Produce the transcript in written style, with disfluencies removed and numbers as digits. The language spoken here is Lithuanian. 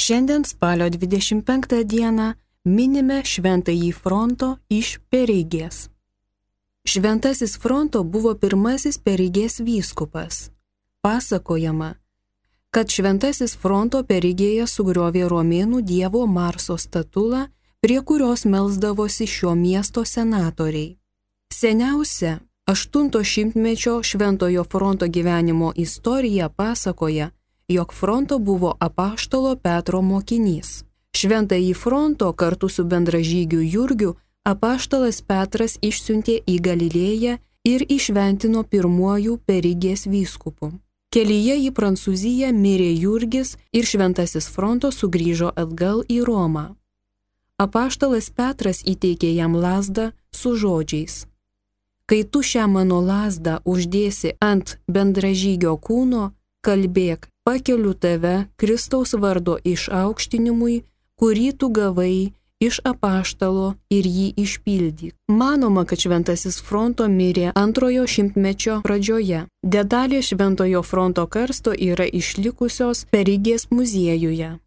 Šiandien spalio 25 dieną minime Šventąjį Fronto iš Perigės. Šventasis Fronto buvo pirmasis Perigės vyskupas. Pasakojama, kad Šventasis Fronto Perigėje sugriovė romėnų dievo Marso statulą, prie kurios melsdavosi šio miesto senatoriai. Seniausia 8 šimtmečio Šventojo Fronto gyvenimo istorija pasakoja, jog Fronto buvo apaštalo Petro mokinys. Šventąjį Fronto kartu su bendražygiu Jurgiu apaštalas Petras išsiuntė į Galilėją ir įšventino pirmuoju Perigės vyskupu. Kelyje į Prancūziją mirė Jurgis ir Šventasis Fronto sugrįžo atgal į Romą. Apaštalas Petras įteikė jam lazdą su žodžiais: kai tu šią mano lazdą uždėsi ant bendražygio kūno, kalbėk, pakeliu tave Kristaus vardo išaukštinimui, kurį tu gavai iš apaštalo, ir jį išpildyk. Manoma, kad Šventasis Fronto mirė 2 šimtmečio pradžioje. Detalės Šventojo Fronto karsto yra išlikusios Perigės muziejuje.